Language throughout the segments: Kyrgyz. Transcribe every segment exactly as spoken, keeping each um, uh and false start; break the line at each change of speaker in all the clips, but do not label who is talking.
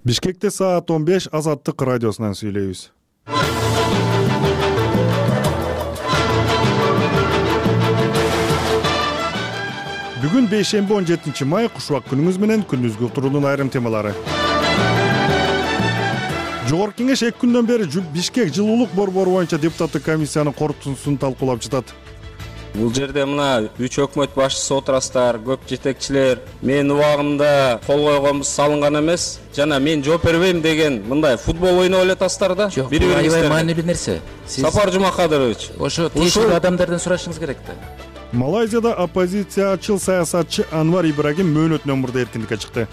Бишкекте саат он беш Азаттык радиосунан сүйлөйбүз. Бүгүн бейшемби он жетинчи май кушубак күнүңүз менен күндүзгү уктуруунун айрым темалары. Жогорку кеңеш эки күндөн бери Бишкек жылуулук борбору боюнча депутаттык комиссиянын корутундусун талкуулап жатат.
Бул жерде мына үч өкмөт башчысы отурасыздар, көп жетекчилер. Менин убагымда кол койгонбуз салынган эмес. Жана мен жооп бербейм деген мындай футбол ойноп элетасыздар да.
Бири-бириңизге маанилүү нерсе.
Сапар Жумакадырович,
ошо тиешелүү адамдардан сурашыңыз керек да.
Малайзияда оппозициячыл саясатчы Анвар Ибрагим мөөнөтүнөн мурда эркиндикке чыкты.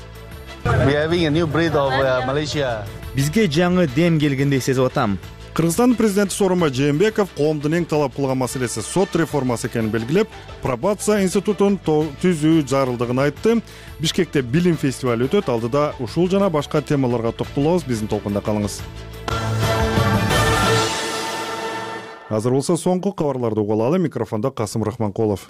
Бизге жаңы дем келгендей сезип атам.
Кыргызстандын президенти Сооронбай Жээнбеков коомдун эң талап кылган маселеси сот реформасы экенин белгилеп, пробация институтун түзүү зарылдыгын айтты. Бишкекте билим фестивалы өтөт. Алдыда ушул жана башка темаларга токтолобуз. Биздин толкунда калыңыз. Азыр болсо соңку кабарларды угуп алалы. Микрофондо Касым Рахманкулов.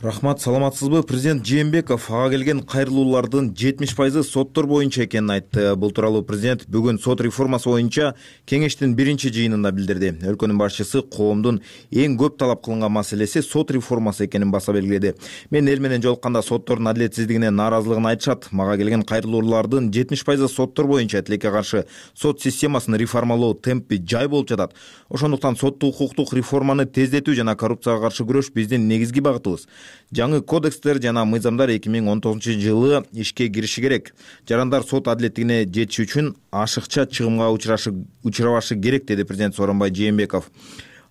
Рахмат, саламатсызбы? Президент Жээнбеков ага келген кайрылуулардын жетимиш пайызы соттор боюнча экенин айтты. Бул тууралуу президент бүгүн сот реформасы боюнча кеңештин биринчи жыйынында билдирди. Өлкөнүн башчысы коомдун эң көп талап кылынган маселеси сот реформасы экенин баса белгиледи. Мен эл менен жолукканда соттордун адилетсиздигине нааразылыгын айтышат. Мага келген кайрылуулардын жетимиш пайызы соттор боюнча тилекке каршы сот системасын реформалоо темпи жай болуп жатат. Ошондуктан соттук укуктук реформаны тездетүү жана коррупцияга каршы күрөш биздин негизги багытыбыз. Жаңы кодекстер жана мыйзамдар эки миң он тогузунчу жылы ишке кириши керек. Жарандар сот адилеттигине жетиш үчүн ашыкча чыгымга учурабашы керек, деди президент Сооронбай Жээнбеков.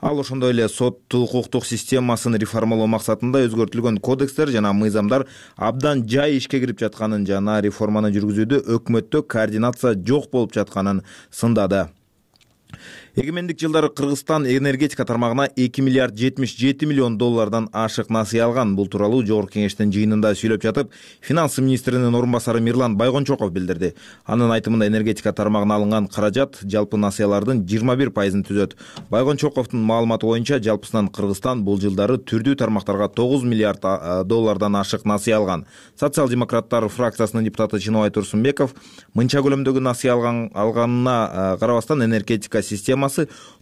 Ал ошондой эле соттук укуктук системасын реформалоо максатында өзгөртүлгөн кодекстер жана мыйзамдар абдан жай ишке кирип жатканын жана реформаны жүргүзүүдө өкмөттө координация жок болуп жатканын сындады. Эгемендик жылдары Кыргызстан энергетика тармагына эки миллиард жетимиш жети миллион доллардан ашык насыя алган. Бул тууралуу жогорку кеңештин жыйынында сүйлөп жатып, финанс министринин орун басары Мирлан Байгончоков билдирди. Анын айтымында энергетика тармагына алынган каражат жалпы насыялардын жыйырма бир пайызын түзөт. Байгончоковдун маалыматы боюнча жалпысынан Кыргызстан бул жылдары түрдүү тармактарга тогуз миллиард доллардан ашык насыя алган. Социал-демократтар фракциясынын депутаты Чынобай Турсунбеков мынча көлөмдөгү насыя алган алганына карабастан энергетика система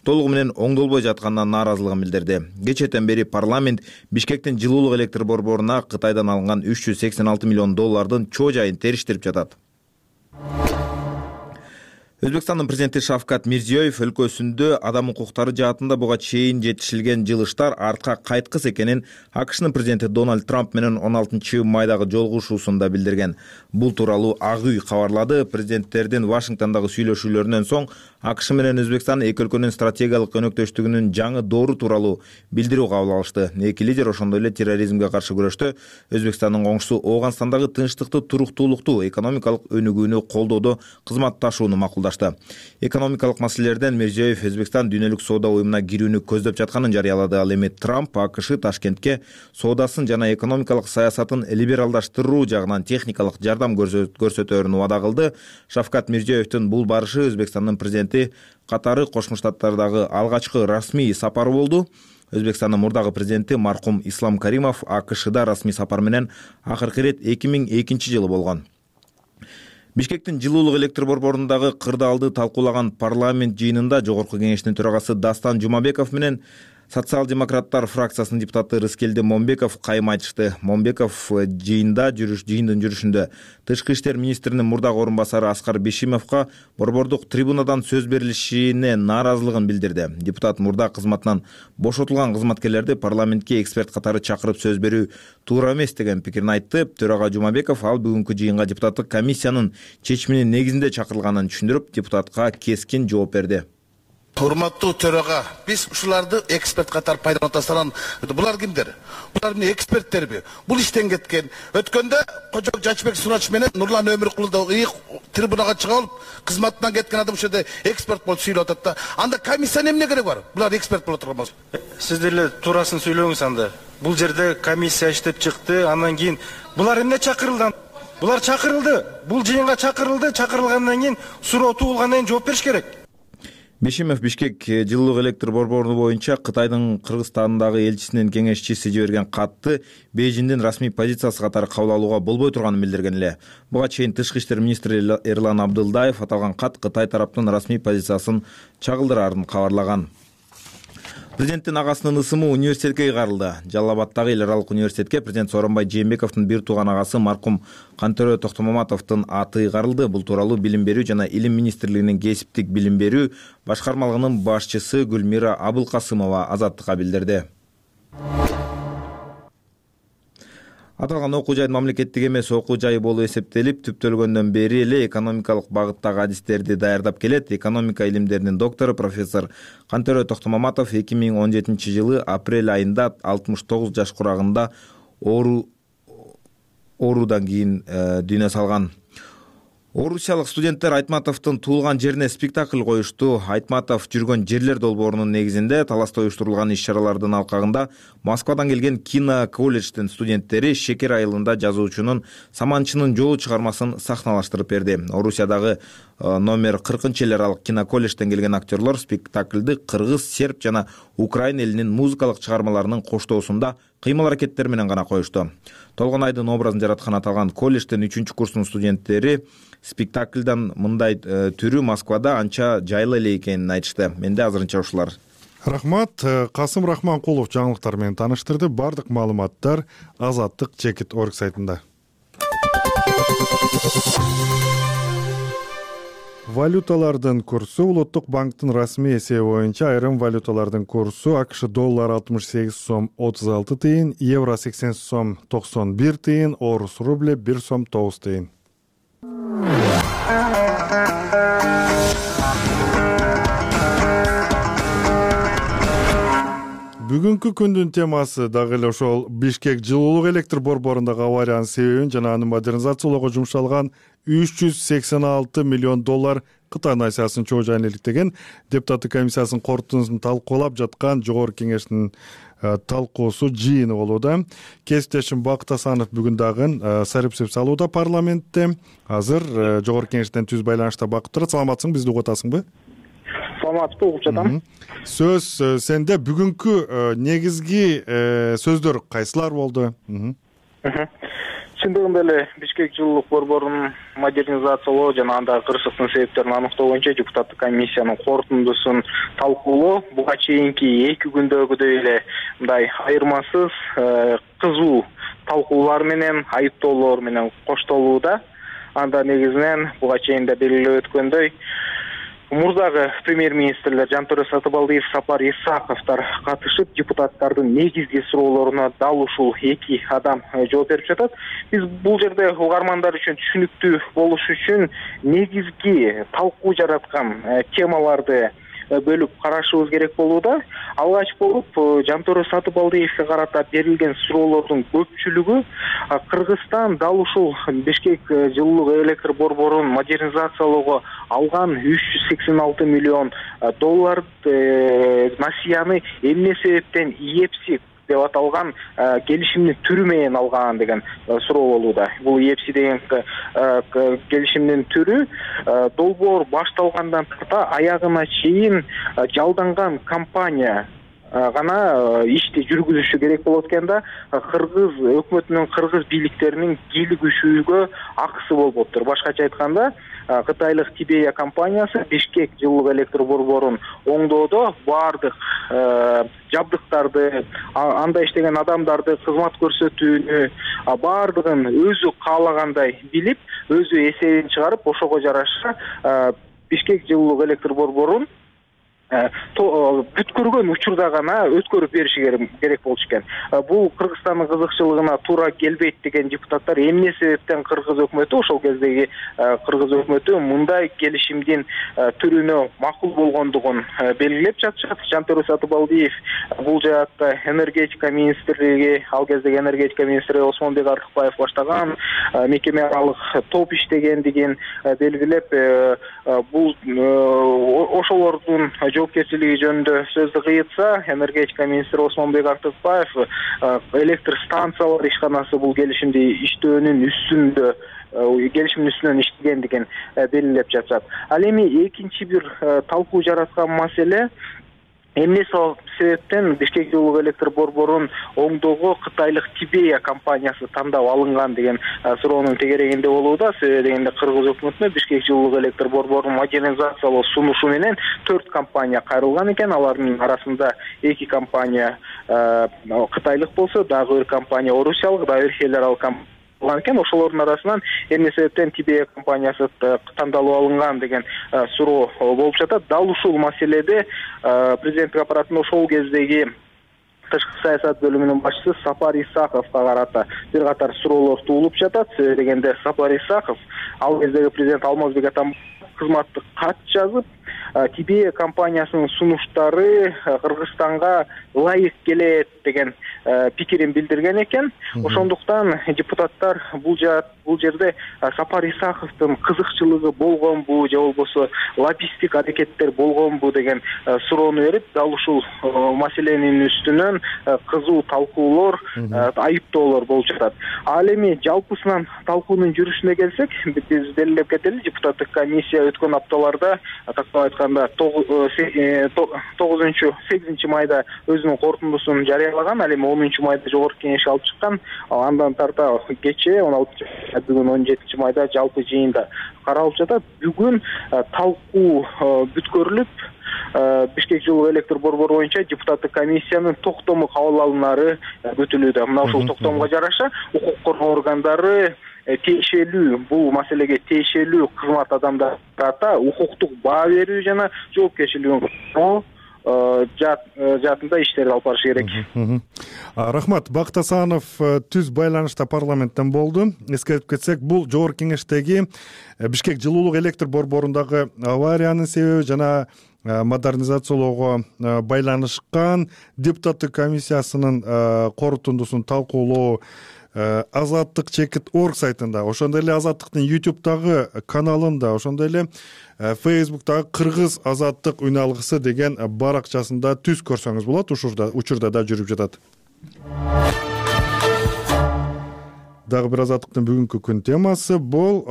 толугу менен оңдолбой жатканына нааразылыгын билдирди. Кечээден бери парламент Бишкектин жылуулук электр борборуна Кытайдан алынган үч жүз сексен алты миллион доллардын чоо жайын териштирип жатат. Өзбекстандын президенти Шавкат Мирзиёев өлкөсүндө адам укуктары жаатында буга чейин жетишилген жылыштар артка кайткыс экенин АКШнын президенти Дональд Трамп менен он алтынчы майдагы жолугушуусунда билдирген. Бул тууралуу Ак үй кабарлады. Президенттердин Вашингтондогу сүйлөшүүлөрүнөн соң АКШ менен Өзбекстан эки өлкөнүн стратегиялык өнөктөштүгүнүн жаңы доору тууралуу билдирүү кабыл алышты. Эки лидер ошондой эле терроризмге каршы күрөштө Өзбекстандын коңшусу Ооганстандагы тынчтыкты, туруктуулукту, экономикалык өнүгүүнү колдоодо кызматташууну макулдашты. Экономикалык маселелерден Мирзиёев Өзбекстан дүйнөлүк соода уюмуна кирүүнү көздөп жатканын жарыялады. Ал эми Трамп АКШ Ташкентке соодасын жана экономикалык саясатын либералдаштыруу жагынан техникалык жардам көрсөтөөрүн убада кылды. Шавкат Мирзиёевдин бул барышы Өзбекстандын президенти катары Кошмо Штаттардагы алгачкы расмий сапары болду. Өзбекстандын мурдагы президенти маркум Ислам Каримов АКШда расмий сапар менен акыркы ирет эки миң экинчи жылы болгон. Бишкектин жылуулук электр борборундагы кырдаалды талкуулаган парламент жыйынында жогорку кеңештин төрагасы Дастан Жумабеков менен Социал-демократтар фракциясынын депутаты Рыскелди Момбеков кайым айтышты. Момбеков жыйында жүрүш жыйындын жүрүшүндө тышкы иштер министринин мурдагы орун басары Аскар Бишимовго борбордук трибунадан сөз берилишине нааразылыгын билдирди. Депутат мурда кызматынан бошотулган кызматкерлерди парламентке эксперт катары чакырып сөз берүү туура эмес деген пикирин айтты. Төрага Жумабеков ал бүгүнкү жыйынга депутаттык комиссиянын чечиминин негизинде чакырылганын түшүндүрүп, депутатка кескин жооп берди.
Урматтуу төрага, биз ушуларды эксперт катары пайдаланып атасынан, булар кимдер? Булар эмне эксперттерби? Бул иштен кеткен. Өткөндө Кожок Жачбек Сурач менен Нурлан Өмүркулу да трибунага чыга алып, кызматынан кеткен адам ушул жерде эксперт болуп сүйлөп атат да. Анда комиссия эмне керек бар? Булар эксперт боло турган болсо.
Сиздер эле туурасын сүйлөңүз анда. Бул жерде комиссия иштеп чыкты, андан кийин булар эмне чакырылды? Булар чакырылды. Бул жыйынга чакырылды, чакырылгандан кийин суроо туулгандан кийин жооп бериш керек.
Бешимов Бишкек жылуулук электр борбору боюнча Кытайдын Кыргызстандагы элчисинин кеңешчиси жиберген катты Бейжиңдин расмий позициясы катары кабыл алууга болбой турганын билдирген эле. Буга чейин Тышкы иштер министри Эрлан Абдылдаев аталган кат Кытай тараптын расмий позициясын чагылдыраарын кабарлаган. Президенттин агасынын ысымы университетке ыйгарылды. Жалал Абаддагы эл аралык университетке президент Сооронбай Жээнбековдун бир тууган агасы маркум Кантөрө Токтомаматовдун аты ыйгарылды. Бул тууралуу Билим берүү жана Илим министрлигинин кесиптик билим берүү башкармалыгынын башчысы Гүлмира Абылкасымова Азаттыкка билдирди. Аталган окуу жайдын мамлекеттик эмес окуу жайы болуп эсептелип, түптөлгөндөн бери эле экономикалык багыттагы адистерди даярдап келет. Экономика илимдеринин доктору профессор Кантөрө Токтомаматов эки миң он жетинчи жылы апрель айында алтымыш тогуз жаш курагында оору оорудан кийин дүйнө салган. Орусиялык студенттер Айтматовдун туулган жерине спектакль коюшту. Айтматов жүргөн жерлер долбоорунун негизинде таласта уюштурулган иш-чаралардын алкагында Москвадан келген кино колледждин студенттери Шекер айылында жазуучунун Саманчынын жолу чыгармасын сахналаштырып берди. Орусиядагы номер кыркынчы эл аралык кино колледжден келген актерлор спектакльды кыргыз, серб жана украин элинин музыкалык чыгармаларынын коштоосунда кыймыл аракеттер менен гана коюшту. Толгонайдын образын жараткан аталган колледждин үчүнчү курсунун студенттери спектакльдан мындай түрү Москвада анча жайлы эле экенин айтышты. Менде азырынча ушулар.
Рахмат. Касым Рахманкулов жаңылыктар менен тааныштырды. Бардык маалыматтар Азаттык Чекит орг сайтында. Валюталардын курсу Улуттук банктын расмий эсеби боюнча айрым валюталардын курсу АКШ доллар алтымыш сегиз сом отуз алты тыйын, евро сексен сом токсон бир тыйын, орус рубль бир сом тогуз тыйын. Бүгүнкү күндүн темасы дагы эле ошол Бишкек жылуулук электр борборундагы авариянын себебин жана аны модернизациялоого жумшалган үч жүз сексен алты миллион доллар Кытай насыясын чоо жайын иликтеген депутаттык комиссиясынын корутундусун талкуулап жаткан жогорку кеңештин талкуусу жыйыны болууда. Кесиптешим Бакыт Асанов бүгүн дагы сарипсеп салууда парламентте. Азыр жогорку кеңештен түз байланышта Бакыт турат. Саламатсың, бизди угуп атасыңбы?
Саламатсызбы, угуп жатам.
Сөз сенде. Бүгүнкү негизги сөздөр кайсылар болду?
Чындыгында эле Бишкек жылуулук борборун модернизациялоо жана андагы кырсыктын себептерин аныктоо боюнча депутаттык комиссиянын корутундусун талкуулоо буга чейинки эки күндөгүдөй эле мындай айырмасыз кызуу талкуулар менен, айыптоолор менен коштолууда. Анда негизинен буга чейин да белгилеп өткөндөй мурдагы премьер-министрлер Жантөрө Сатыбалдиев, Сапар Исаковдор катышып, депутаттардын негизги суроолоруна дал ушул эки адам жооп берип жатат. Биз бул жерде угармандар үчүн түшүнүктүү болуш үчүн негизги талкуу жараткан темаларды бөлүп карашыбыз керек болууда. Алгач болуп Жантөрө Сатыбалдиевке карата берилген суроолордун көпчүлүгү Кыргызстан дал ушул Бишкек жылуулук электр борборун модернизациялоого алган үч жүз сексен алты миллион доллар насыяны эмне себептен ИЭПСИ деп аталган келишимдин түрү менен алган деген суроо болууда. Бул ИЭПСИ деген келишимдин түрү долбоор башталгандан тарта аягына чейин жалданган компания гана ишти жүргүзүшү керек болот экен да, кыргыз өкмөтүнүн, кыргыз бийликтеринин кийлигишүүгө акысы болбоптур. Башкача айтканда, кытайлык Тибея компаниясы Бишкек жылуулук электр борборун оңдоодо баардык жабдыктарды, анда иштеген адамдарды кызмат көрсөтүүнү баардыгын өзү каалагандай билип, өзү эсебин чыгарып, ошого жараша Бишкек жылуулук электр борборун бүткөргөн учурда гана өткөрүп бериши керек болчу экен. Бул Кыргызстандын кызыкчылыгына туура келбейт деген депутаттар эмне себептен кыргыз өкмөтү, ошол кездеги кыргыз өкмөтү мындай келишимдин түрүнө макул болгондугун белгилеп жатышат. Жантөрө Сатыбалдиев бул жаатта энергетика министрлиги, ал кездеги энергетика министри Осмонбек Артыкбаев баштаган мекеме аралык топ иштегендигин белгилеп, бул ошолордун жоопкерчилиги жөнүндө сөздү кыйтса, энергетика министри Осмонбек Артыкбаев электр станциялар ишканасы бул келишимди иштөөнүн үстүндө келишимдин үстүнөн иштеген деген белгилеп жатышат. Ал эми экинчи бир талкуу жараткан маселе эмне себептен Бишкек жылуулук электр борборун оңдоого кытайлык Тибея компаниясы тандап алынган деген суроонун тегерегинде болууда. Себеби дегенде кыргыз өкмөтүнө Бишкек жылуулук электр борборун модернизациялоо сунушу менен төрт компания кайрылган экен. Алардын арасында эки компания кытайлык болсо, дагы бир компания орусиялык, дагы бир федералдык компания экен. Ошолордун арасынан эмне себептен Тибея компаниясы тандалып алынган деген суроо болуп жатат. Дал ушул маселеде президенттик аппаратында ошол кездеги тышкы саясат бөлүмүнүн башчысы Сапар Исаковго карата бир катар суроолор туулуп жатат. Себеби дегенде Сапар Исаков ал кездеги президент Алмазбек Атамбаевге кызматтык кат жазып, Тибея компаниясынын сунуштары Кыргызстанга ылайык келет деген пикирин билдирген экен. Ошондуктан депутаттар бул бул жерде Сапар Исаковдун кызыкчылыгы болгонбу же болбосо лоббисттик аракеттер болгонбу деген суроону берип, дал ушул маселенин үстүнөн кызуу талкуулор, айыптоолор болуп жатат. Ал эми жалпысынан талкуунун жүрүшүнө келсек, биз белгилеп кетели, депутаттык комиссия өткөн апталарда тактап айтканда тогузунчу сегизинчи майда өзүнүн корутундусун жарыялаган. Ал эми онунчу майда жогорку кеңеш алып чыккан. Андан тарта кечээ он алтынчы бүгүн он жетинчи майда жалпы жыйында каралып жатат. Бүгүн талкуу бүткөрүлүп, Бишкек жылуулук электр борбору боюнча депутаттык комиссиянын токтому кабыл алынары күтүлүүдө. Мына ушул токтомго жараша укук коргоо органдары тиешелүү бул маселеге тиешелүү кызмат адамдарына укуктук баа берүү жана жоопкерчилигин жаатында иштерди алып барыш керек.
Рахмат. Бакыт Асанов түз байланышта парламенттен болду. Эскертип кетсек, бул жогорку кеңештеги Бишкек жылуулук электр борборундагы авариянын себеби жана модернизациялоого байланышкан депутаттык комиссиясынын корутундусун талкуулоо Азаттык чекит орг сайтында, ошондой эле Азаттыктын ютубтагы каналында, ошондой эле фейсбуктагы Кыргыз Азаттык үн алгысы деген баракчасында түз көрсөңүз болот. Ушурда учурда да жүрүп жатат. Дагы бир Азаттыктын бүгүнкү күн темасы бул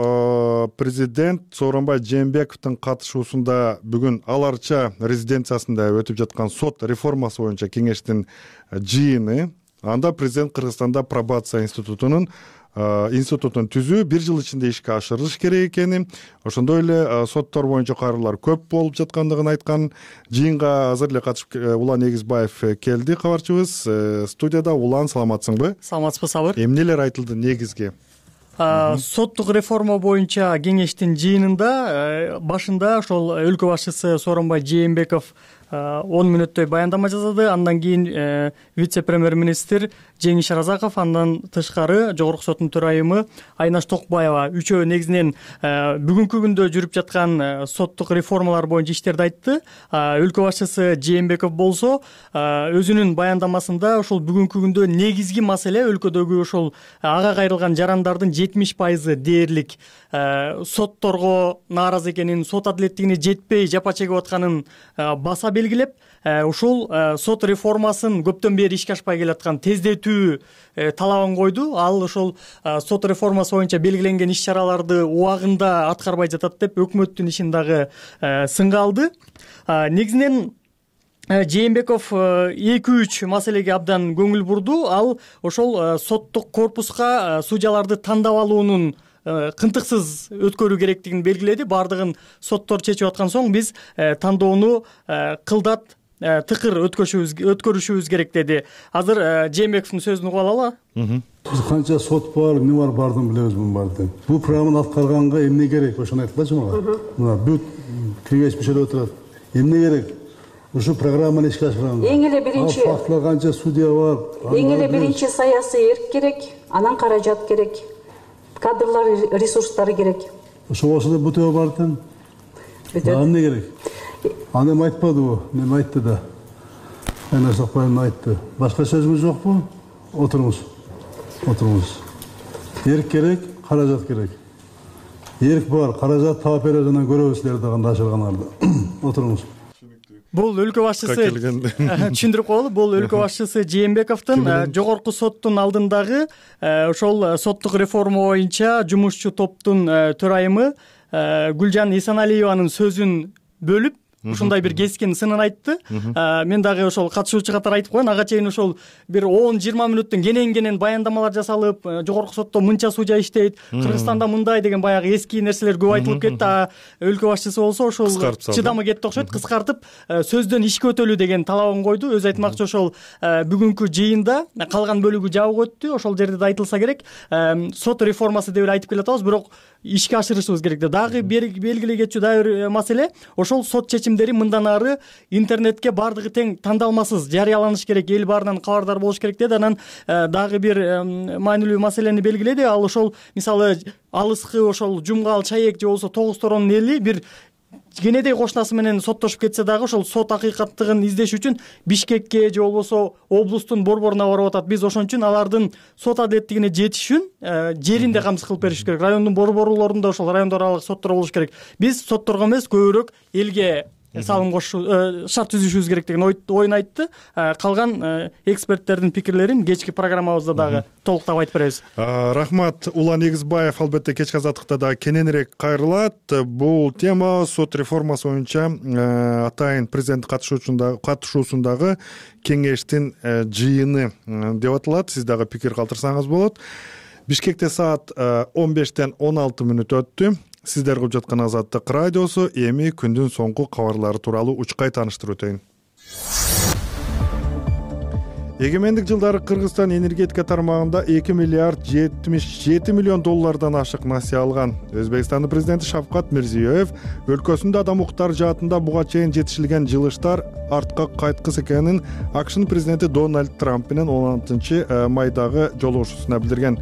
президент Сооронбай Жээнбековдун катышуусунда бүгүн Ал Арча резиденциясында өтүп жаткан сот реформасы боюнча кеңештин жыйыны. Анда президент Кыргызстанда пробация институтунун институтун түзүү бир жыл ичинде ишке ашырылыш керек экени, ошондой эле соттор боюнча кайрылуулар көп болуп жаткандыгын айткан. Жыйынга азыр эле катышып Улан Эгизбаев келди, кабарчыбыз. Студияда Улан, саламатсыңбы?
Саламатсызбы, Сабыр.
Эмнелер айтылды негизги?
Соттук реформа боюнча кеңештин жыйынында башында ошол өлкө башчысы Сооронбай Жээнбеков он мүнөттөй баяндама жасады. Андан кийин вице-премьер-министр Жеңиш Разаков, андан тышкары жогорку соттун төрайымы Айнаш Токбаева үчөө негизинен бүгүнкү күндө жүрүп жаткан соттук реформалар боюнча иштерди айтты. Өлкө башчысы Жээнбеков болсо өзүнүн баяндамасында ошол бүгүнкү күндө негизги маселе өлкөдөгү ошол ага кайрылган жарандардын жетимиш пайызы дээрлик сотторго нааразы экенин, сот адилеттигине жетпей жапа чегип атканын баса белгилеп, ушул сот реформасын көптөн бери ишке ашпай келаткан тездетүү талабын койду. Ал ошол сот реформасы боюнча белгиленген иш чараларды убагында аткарбай жатат деп өкмөттүн ишин дагы сынга алды. Негизинен Жээнбеков эки үч маселеге абдан көңүл бурду. Ал ошол соттук корпуска судьяларды тандап алуунун кынтыксыз өткөрүү керектигин белгиледи. Бардыгын соттор чечип аткан соң биз тандоону кылдат тыкыр өткөрүшүбүз керек деди. Азыр Жээнбековдун сөзүн угуп алалы.
Биз канча сот бар, эмне бар, бардын билебиз муну бардын. Бул программаны аткарганга эмне керек? Ошону айтпачы мага. Мына бүт кеңеш мүчөлөрү отурат. Эмне керек? Ушу программаны ишке ашырганга. Эң эле биринчи фактылар канча судья бар.
Эң эле биринчи саясий эрк керек, анан каражат керек. Кадрлар ресурстары керек.
Ошо болсо да бүтө бардын. Бүтөт. Эмне керек? Аны эми айтпадыбы? Эми айтты да. Айнаш Токбаев айтты. Башка сөзүңүз жокпу? Отуруңуз. Отуруңуз. Эрк керек, каражат керек. Эрк бар, каражат таап беребиз, анан көрөбүз силерди кандай ашырганыңарды. Отуруңуз.
бул өлкө башчысы түшүндүрүп коелу, бул өлкө башчысы Жээнбековдун жогорку соттун алдындагы ошол соттук реформа боюнча жумушчу топтун төрайымы Гүлжан Исаналиеванын сөзүн бөлүп ушундай бир кескин сынын айтты. Мен дагы ошол катышуучу катары айтып коеюн, ага чейин ошол бир он жыйырма мүнөттүн кенен-кенен баяндамалар жасалып, жогорку сотто мынча судья иштейт, Кыргызстанда мындай деген баягы эски нерселер көп айтылып кетти. А өлкө башчысы болсо ошол чыдамы кетти окшойт, кыскартып сөздөн ишке өтөлүү деген талабын койду. Өзү айтмакчы ошол бүгүнкү жыйында калган бөлүгү жабык өттү. Ошол жерде да айтылса керек, сот реформасы деп эле айтып келатабыз, бирок ишке ашырышыбыз керек. Дагы белгилей кетчү дагы бир маселе, ошол сот чечимдери мындан ары интернетке бардыгы тең тандалмасыз жарыяланыш керек, эл баарынан кабардар болуш керек деди. Анан дагы бир маанилүү маселени белгиледи. Ал ошол мисалы алыскы ошол Жумгал, Чаек же болбосо Тогуз Торонун эли бир кенедей кошунасы менен соттошуп кетсе дагы ошол сот акыйкаттыгын издеш үчүн Бишкекке же болбосо облустун борборуна барып атат. Биз ошон үчүн алардын сот адилеттигине жетиш үчүн жеринде камсыз кылып бериш керек. Райондун борборлорунда ошол райондор аралык соттор болуш керек. Биз сотторго эмес, көбүрөөк элге салым кошуу, шарт түзүшүбүз керек деген оюн айтты. Калган эксперттердин пикирлерин кечки программабызда дагы толуктап айтып беребиз.
Рахмат. Улан Эгизбаев албетте кечки азаттыкта дагы кененирээк кайрылат. Бул тема сот реформасы боюнча атайын президент катышуусундагы кеңештин жыйыны деп аталат. Сиз дагы пикир калтырсаңыз болот. Бишкекте саат он бештен он алты мүнөт өттү. Сиздер угуп жаткан Азаттык радиосу. Эми күндүн соңку кабарлары тууралуу учкай тааныштырып өтөйүн. Эгемендик жылдары Кыргызстан энергетика тармагында эки миллиард жетимиш жети миллион доллардан ашык насыя алган. Өзбекстандын президенти Шавкат Мирзиёев өлкөсүндө адам укуктары жаатында буга чейин жетишилген жылыштар артка кайткыс экенин АКШнын президенти Дональд Трамп менен он алтынчы майдагы жолугушуусунда билдирген.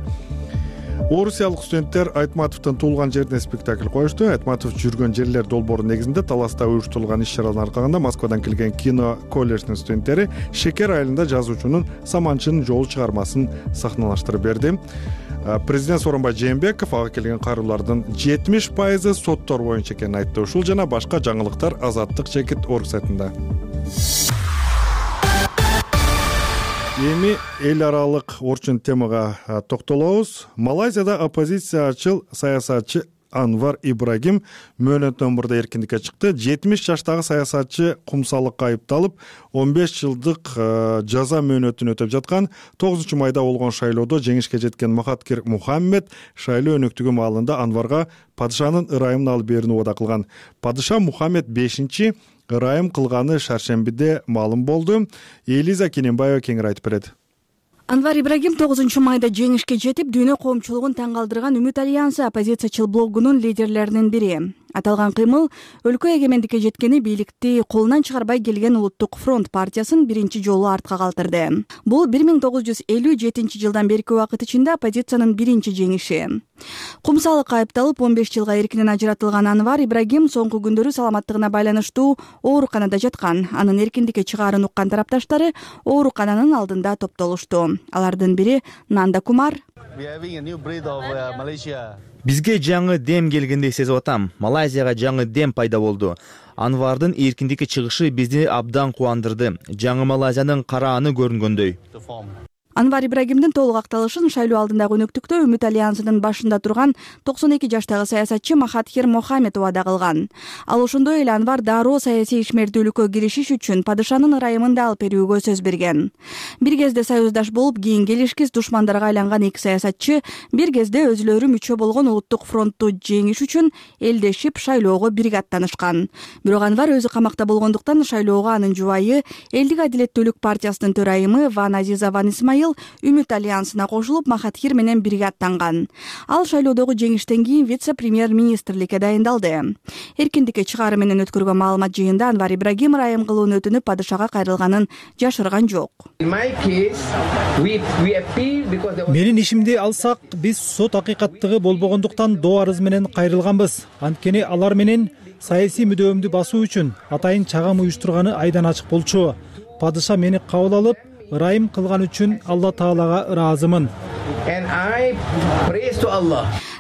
Орусиялык студенттер Айтматовдун туулган жерине спектакль коюшту. Айтматов жүргөн жерлер долбоору негизинде Таласта уюштурулган иш-чаралардын аркагында Москвадан келген кино колледжинин студенттери Шекер айылында жазуучунун Саманчынын жолу чыгармасын сахналаштырып берди. Президент Сооронбай Жээнбеков ага келген кайрылуулардын жетимиш пайызы соттор боюнча экенин айтты. Ушул жана башка жаңылыктар Азаттык чекит орг сайтында. Эми эл аралык орчун темага токтолобуз. Малайзияда оппозициячыл саясатчы Анвар Ибрагим мөөнөттөн мурда эркиндикке чыкты. жетимиш жаштагы саясатчы кумсалыкка айыпталып, он беш жылдык жаза мөөнөтүн өтөп жаткан. тогузунчу майда болгон шайлоодо жеңишке жеткен Махатхир Мухаммед шайлоо өнөктүгү маалында Анварга падышанын ырайымын алып берүүнү убада кылган. Падыша Мухаммед бешинчи ырайым кылганы шаршембиде маалым болду. Элиза Кененбаева кеңири айтып берет.
Анвар Ибрагим тогузунчу майда жеңишке жетип, дүйнө коомчулугун таң калтырган Үмүт альянсы оппозициячыл блогунун лидерлеринин бири. Аталган кыймыл өлкө эгемендикке жеткени бийликти колунан чыгарбай келген Улуттук фронт партиясын биринчи жолу артка калтырды. Бул бир миң тогуз жүз элүү жетинчи жылдан берки убакыт ичинде оппозициянын биринчи жеңиши. Кумсалыкка айыпталып он беш жылга эркинен ажыратылган Анвар Ибрагим соңку күндөрү саламаттыгына байланыштуу ооруканада жаткан. Анын эркиндикке чыгаарын уккан тарапташтары оорукананын алдында топтолушту. Алардын бири Нанда Кумар.
Бизге жаңы дем келгендей сезип атам. Малайзияга жаңы дем пайда болду. Анвардын эркиндикке чыгышы бизди абдан кубандырды. Жаңы Малайзиянын карааны көрүнгөндөй.
Анвар Ибрагимдин толук акталышын шайлоо алдындагы өнөктүктө Үмүт альянсынын башында турган токсон эки жаштагы саясатчы Махатхир Мухаммед убада кылган. Ал ошондой эле Анвар дароо саясий ишмердүүлүккө киришиш үчүн падышанын ырайымын да алып берүүгө сөз берген. Бир кезде союздаш болуп, кийин келишкис душмандарга айланган эки саясатчы бир кезде өзүлөрү мүчө болгон Улуттук фронтту жеңиш үчүн элдешип шайлоого бирге аттанышкан. Бирок Анвар өзү камакта болгондуктан шайлоого анын жубайы Элдик адилеттүүлүк партиясынын төрайымы Ван Азиза Ван Исмаил Үмүт альянсына кошулуп, Махатхир менен бирге аттанган. Ал шайлоодогу жеңиштен кийин вице-премьер-министрликке дайындалды. Эркиндикке чыгаары менен өткөргөн маалымат жыйында Анвар Ибрагим ырайым кылууну өтүнүп падышага кайрылганын жашырган жок.
Менин ишимди алсак, биз сот акыйкаттыгы болбогондуктан доо арыз менен кайрылганбыз. Анткени алар менен саясий мүдөөмдү басуу үчүн атайын чагым уюштурганы айдан ачык болчу. Падыша мени кабыл алып, ырайым кылган үчүн Алла Таалага ыраазымын.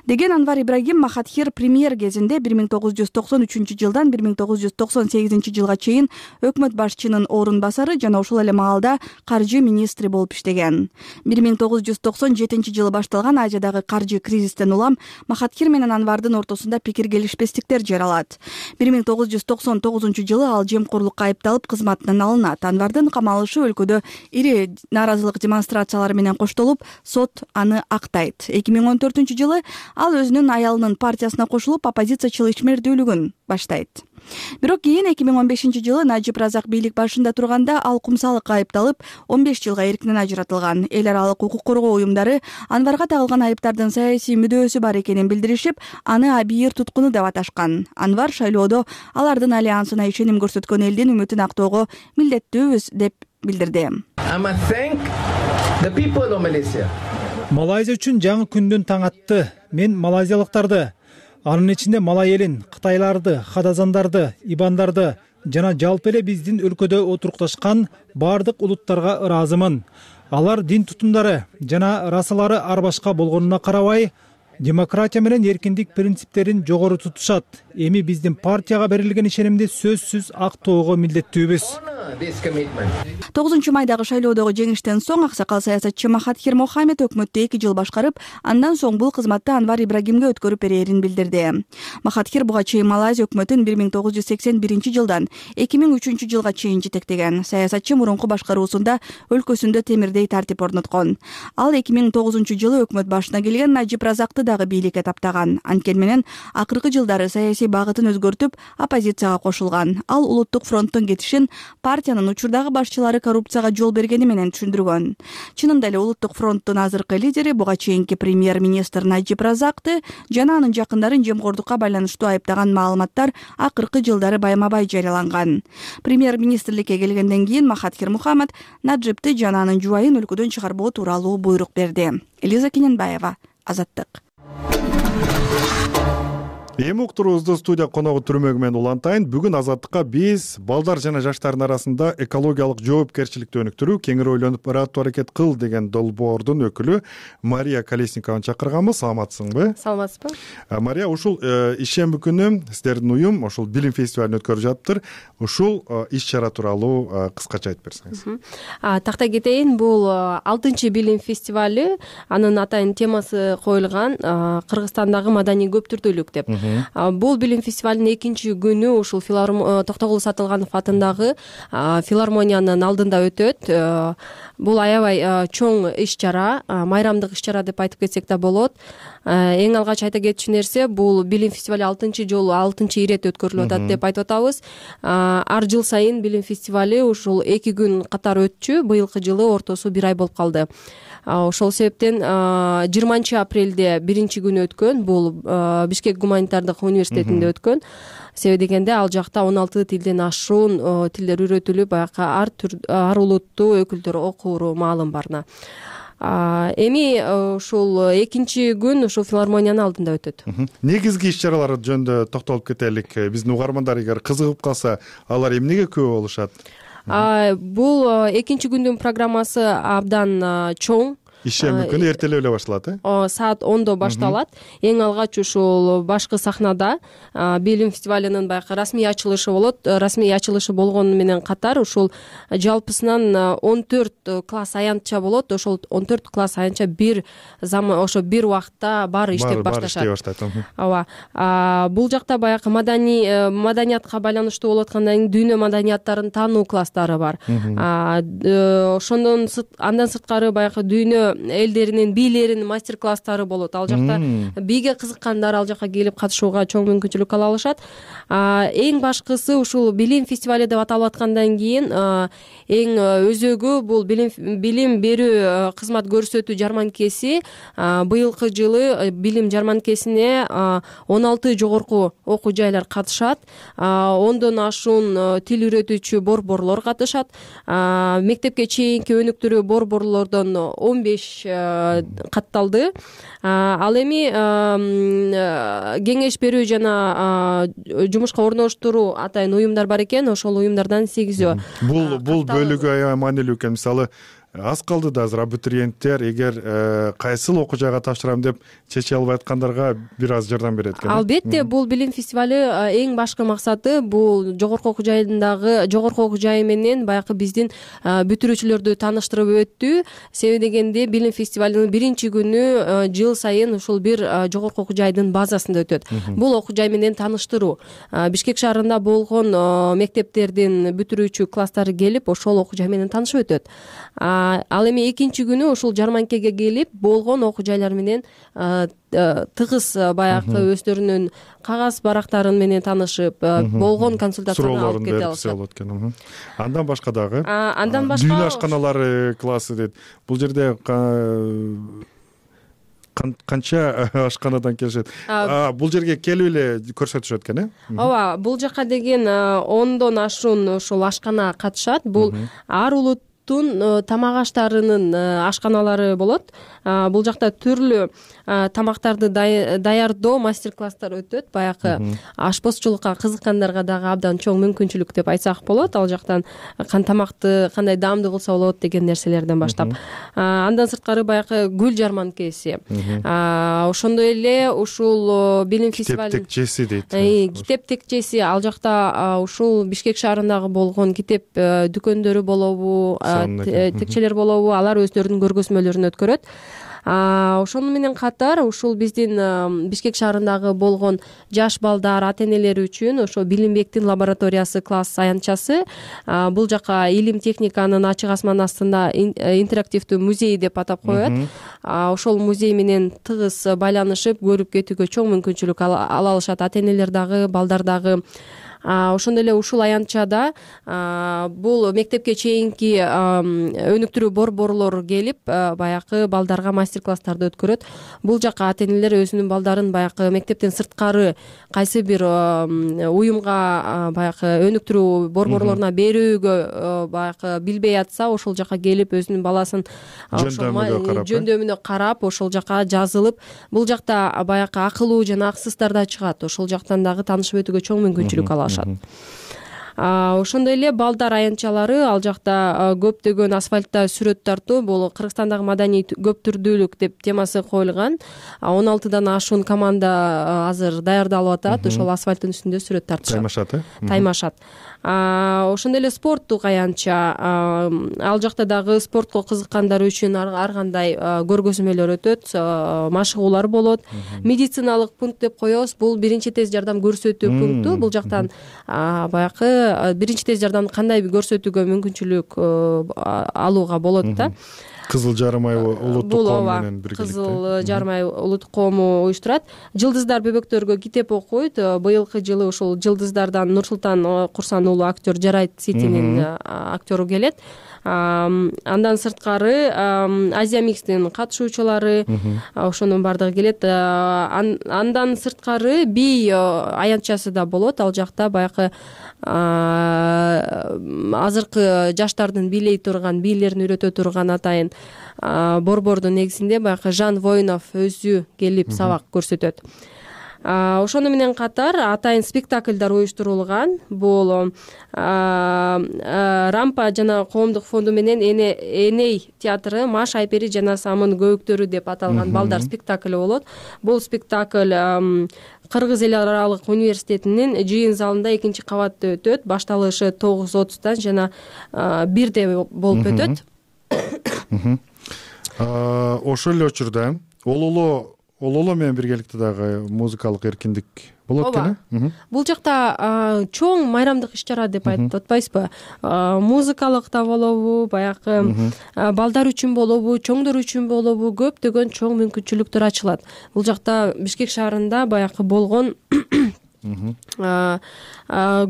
деген Анвар Ибрагим Махатхир премьер кезинде бир миң тогуз жүз токсон үчүнчү жылдан бир миң тогуз жүз токсон сегизинчи жылга чейин өкмөт башчынын орун басары жана ошол эле маалда каржы министри болуп иштеген. бир миң тогуз жүз токсон жетинчи жылы башталган Азиядагы каржы кризистен улам Махатхир менен Анвардын ортосунда пикир келишпестиктер жаралат. бир миң тогуз жүз токсон тогузунчу жылы ал жемкорлукка айыпталып кызматынан алынат. Анвардын камалышы өлкөдө ири нааразылык демонстрациялары менен коштолуп, сот аны актайт. эки миң он төртүнчү жылы ал өзүнүн аялынын партиясына кошулуп, оппозициячыл ишмердүүлүгүн баштайт. Бирок кийин эки миң он бешинчи жылы Najib Razak бийлик башында турганда ал кумсалыкка айыпталып, он беш жылга эркинен ажыратылган. Эл аралык укук коргоо уюмдары Анварга тагылган айыптардын саясий мүдөөсү бар экенин билдиришип, аны абийир туткуну деп аташкан. Анвар шайлоодо алардын альянсына ишеним көрсөткөн элдин үмүтүн актоого милдеттүүбүз деп билдирди.
Малайзия үчүн жаңы күндүн таң атты. Мен малайзиялыктарды, анын ичинде малай элин, кытайларды, хадазандарды, ибандарды жана жалпы эле биздин өлкөдө отурукташкан баардык улуттарга ыраазымын. Алар дин тутумдары жана расалары ар башка болгонуна карабай, демократия менен эркиндик принциптерин жогору тутушат. Эми биздин партияга берилген ишенимди сөзсүз актоого милдеттүүбүз.
тогузунчу майдагы шайлоодогу жеңиштен соң аксакал саясатчы Махатхир Мохамед өкмөттү эки жыл башкарып, андан соң бул кызматты Анвар Ибрагимге өткөрүп берерин билдирди. Махатхир буга чейин Малайзия өкмөтүн бир миң тогуз жүз сексен биринчи жылдан эки миң үчүнчү жылга чейин жетектеген. Саясатчы мурунку башкаруусунда өлкөсүндө темирдей тартип орноткон. Ал эки миң тогузунчу жылы өкмөт башына келген Najib Razakты дагы бийликке таптаган. Анткени менен акыркы жылдары саясий багытын өзгөртүп, оппозицияга кошулган. Ал улуттук фронттун кетишин партиянын учурдагы башчылары коррупцияга жол бергени менен түшүндүргөн. Чынында эле улуттук фронттун азыркы лидери буга чейинки премьер-министр Najib Razakты жана анын жакындарын жемкорлукка байланыштуу айыптаган маалыматтар акыркы жылдары байма-бай жарыяланган. Премьер-министрликке келгенден кийин Махатхир Мухаммед Najibты жана анын жубайын өлкөдөн чыгарбоо тууралуу буйрук берди. Элиза Кененбаева, Азаттык.
Эми уктуруубузду студия коногу түрмөгү менен улантайын. Бүгүн Азаттыкка биз балдар жана жаштардын арасында экологиялык жоопкерчиликти өнүктүрүү, кеңири ойлонуп ырааттуу аракет кыл деген долбоордун өкүлү Мария Колесникованы чакырганбыз. Саламатсыңбы?
Саламатсызбы.
Мария, ушул ишемби күнү сиздердин уюм ушул билим фестивалын өткөрүп жатыптыр. Ушул иш-чара тууралуу кыскача айтып берсеңиз.
Тактай кетейин, бул алтынчы билим фестивалы, анын атайын темасы коюлган Кыргызстандагы маданий көптүрдүүлүк деп. Бул билим фестивалынын экинчи күнү ушул Токтогул Сатылганов атындагы филармониянын алдында өтөт. Бул аябай чоң иш-чара, майрамдык иш-чара деп айтып кетсек да болот. Эң алгач айта кетчү нерсе, бул билим фестивалы алтынчы жолу, алтынчы ирет өткөрүлүп атат деп айтып атабыз. Ар жыл сайын билим фестивалы ушул эки күн катар өтчү. Быйылкы жылы ортосу бир ай болуп калды. Ошол себептен жыйырманчы апрелде биринчи күнү өткөн, бул Бишкек гуманитардык университетинде өткөн. Себеби дегенде ал жакта он алты тилден ашуун тилдер үйрөтүлүп, баягы ар түр ар улуттуу өкүлдөр окууру маалым барына. Эми ушул экинчи күн ушул филармониянын алдында өтөт.
Негизги иш-чаралар жөнүндө токтолуп кетелик. Биздин угармандар эгер кызыгып калса, алар эмнеге көп болушат?
Бул экинчи күндүн программасы абдан чоң.
Ишемби күнү эртелеп эле башталат, э?
Саат ондо башталат. Эң алгач ушул башкы сахнада билим фестивалынын баягы расмий ачылышы болот. Расмий ачылышы болгону менен катар ушул жалпысынан он төрт класс аянтча болот. Ошол он төрт класс аянтча бир заман ошо бир убакытта баары иштеп башташат. Ооба. Бул жакта баягы маданий маданиятка байланыштуу болуп аткандан кийин дүйнө маданияттарын таануу класстары бар. Ошондон андан сырткары баягы дүйнө элдеринин бийлеринин мастер-класстары болот. Ал жакта бийге кызыккандар ал жака келип катышууга чоң мүмкүнчүлүк ала алышат. Эң башкысы ушул билим фестивалы деп аталып аткандан кийин эң өзөгү бул билим билим берүү кызмат көрсөтүү жарманкеси. Быйылкы жылы билим жарманкесине он алты жогорку окуу жайлар катышат. ондон ашуун тил үйрөтүүчү борборлор катышат. Мектепке чейинки өнүктүрүү борборлордон он беш катталды. Ал эми кеңеш берүү жана жумушка орноштуруу атайын уюмдар бар экен. Ошол уюмдардан сегизөө.
Бул бул бөлүгү аябай маанилүү экен. Мисалы, аз калды да азыр абитуриенттер эгер кайсыл окуу жайга тапшырам деп чече албай аткандарга бир аз жардам берет экен.
Албетте, бул билим фестиваль эң башкы максаты бул жогорку окуу жайындагы жогорку окуу жайы менен баягы биздин бүтүрүүчүлөрдү тааныштырып өттү. Себеби дегенде билим фестивалынын биринчи күнү жыл сайын ушул бир жогорку окуу жайдын базасында өтөт. Бул окуу жай менен тааныштыруу. Бишкек шаарында болгон мектептердин бүтүрүүчү класстары келип ошол окуу жай менен таанышып өтөт. Ал эми экинчи күнү ушул жарманкеге келип болгон окуу жайлар менен тыгыз баягы өздөрүнүн кагаз барактарын менен таанышып болгон консультацияны алып кете алышат.
Андан башка дагы
андан башка
дүйнө ашканалары классы дейт. Бул жерде канча ашканадан келишет? Бул жерге келип эле көрсөтүшөт экен, э?
Ооба, бул жака деген ондон ашуун ушул ашкана катышат. Бул ар улут тамак аштарынын ашканалары болот. Бул жакта түрлүү тамактарды даярдоо мастер-класстар өтөт. Баягы ашпозчулукка кызыккандарга дагы абдан чоң мүмкүнчүлүк деп айтсак болот. Ал жактан кан тамакты кандай даамдуу кылса болот деген нерселерден баштап. Андан сырткары баягы гүл жарманкеси. Ошондой эле ушул билим фестиваль
китеп текчеси дейт.
Китеп текчеси ал жакта ушул Бишкек шаарындагы болгон китеп дүкөндөрү болобу, текчелер болобу, алар өздөрүнүн көргөзмөлөрүн өткөрөт. Ошону менен катар ушул биздин Бишкек шаарындагы болгон жаш балдар, ата-энелери үчүн ошо Билимбектин лабораториясы класс аянтчасы. Бул жака илим техниканын ачык асман астында интерактивдүү музей деп атап коет. Ошол музей менен тыгыз байланышып көрүп кетүүгө чоң мүмкүнчүлүк ала алышат ата-энелер дагы, балдар дагы. Ошондой эле ушул аянтчада бул мектепке чейинки өнүктүрүү борборлор келип баягы балдарга мастер-класстарды өткөрөт. Бул жака ата-энелер өзүнүн балдарын баягы мектептен сырткары кайсы бир уюмга баягы өнүктүрүү борборлоруна берүүгө баягы билбей атса, ошол жака келип өзүнүн баласын жөндөмүнө карап, ошол жака жазылып, бул жакта баягы акылуу жана аксыздар да чыгат. Ошол жактан дагы таанышып өтүүгө чоң мүмкүнчүлүк алат. Ошондой эле балдар аянтчалары ал жакта көптөгөн асфальтта сүрөт тартуу, бул Кыргызстандагы маданий көп түрдүүлүк деп темасы коюлган. он алтыдан ашуун команда азыр даярдалып атат. Ошол асфальттын үстүндө сүрөт тартышат.
Таймашат, э?
Таймашат. Ошондой эле спорттук аянтча, ал жакта дагы спортко кызыккандар үчүн ар кандай көргөзмөлөр өтөт, машыгуулар болот. Медициналык пункт деп коебуз. Бул биринчи тез жардам көрсөтүү пункту. Бул жактан баягы биринчи тез жардамды кандай коорсөтүүгө мүмкүнчүлүк алууга болот да.
Кызыл жарым ай улуттук ком менен биргеликте.
Кызыл жарым ай улуттук кому уюштурат. Жылдыздар бөбөктөргө китеп окуйт. Быйылкы жылы ушул жылдыздардан Нурсултан Курсан уулу актер Жарайт Ситинин актеру келет. Андан сырткары Азия микстин катышуучулары ошонун бардыгы келет. Андан сырткары бий аянтчасы да болот. Ал жакта баягы азыркы жаштардын бийлей турган, бийлерин үйрөтө турган атайын борбордун негизинде баягы Жан Воинов өзү келип сабак көрсөтөт. Ошону менен катар атайын спектакльдар уюштурулган. Бул Рампа жана коомдук фонду менен Эней театры Маш Айпери жана Самын көбүктөрү деп аталган балдар спектакли болот. Бул спектакль Кыргыз эл аралык университетинин жыйын залында экинчи кабатта өтөт. Башталышы тогуз отуздан жана бирде болуп өтөт.
Ошол эле учурда Ололо Ололо менен биргеликте дагы музыкалык эркиндик болот экен.
Бул жакта чоң майрамдык иш-чара деп айтып атпайсызбы? Музыкалык да болобу, баягы балдар үчүн болобу, чоңдор үчүн болобу, көптөгөн чоң мүмкүнчүлүктөр ачылат. Бул жакта Бишкек шаарында баягы болгон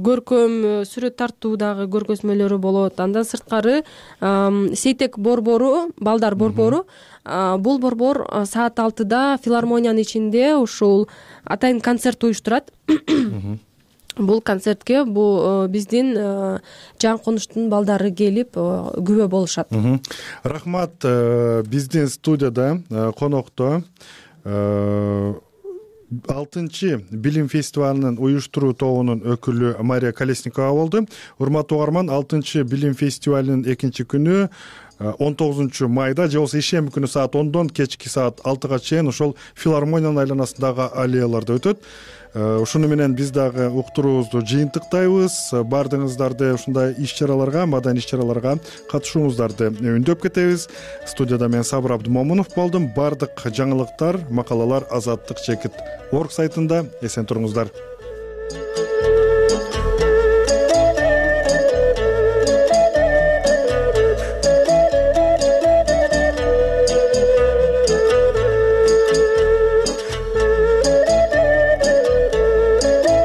көркөм сүрөт тартуудагы көргөзмөлөрү болот. Андан сырткары Сейтек борбору, балдар борбору, бул борбор саат алтыда филармониянын ичинде ушул атайын концерт уюштурат. Бул концертке бул биздин жан конуштун балдары келип күбө болушат.
Рахмат. Биздин студияда конокто алтынчы билим фестивалынын уюштуруу тобунун өкүлү Мария Колесникова болду. Урматтуу угарман, алтынчы билим фестивалынын экинчи күнү он тогузунчу майда же болбосо ишемби күнү саат ондон кечки саат алтыга чейин ошол филармониянын айланасындагы аллеяларда өтөт. Ушуну менен биз дагы уктуруубузду жыйынтыктайбыз. Баардыгыңыздарды ушундай иш-чараларга, маданий иш-чараларга катышууңуздарды үндөп кетебиз. Студияда мен Сабыр Абдымомунов болдум. Баардык жаңылыктар, макалалар азаттык чекит орг сайтында. Эсен туруңуздар.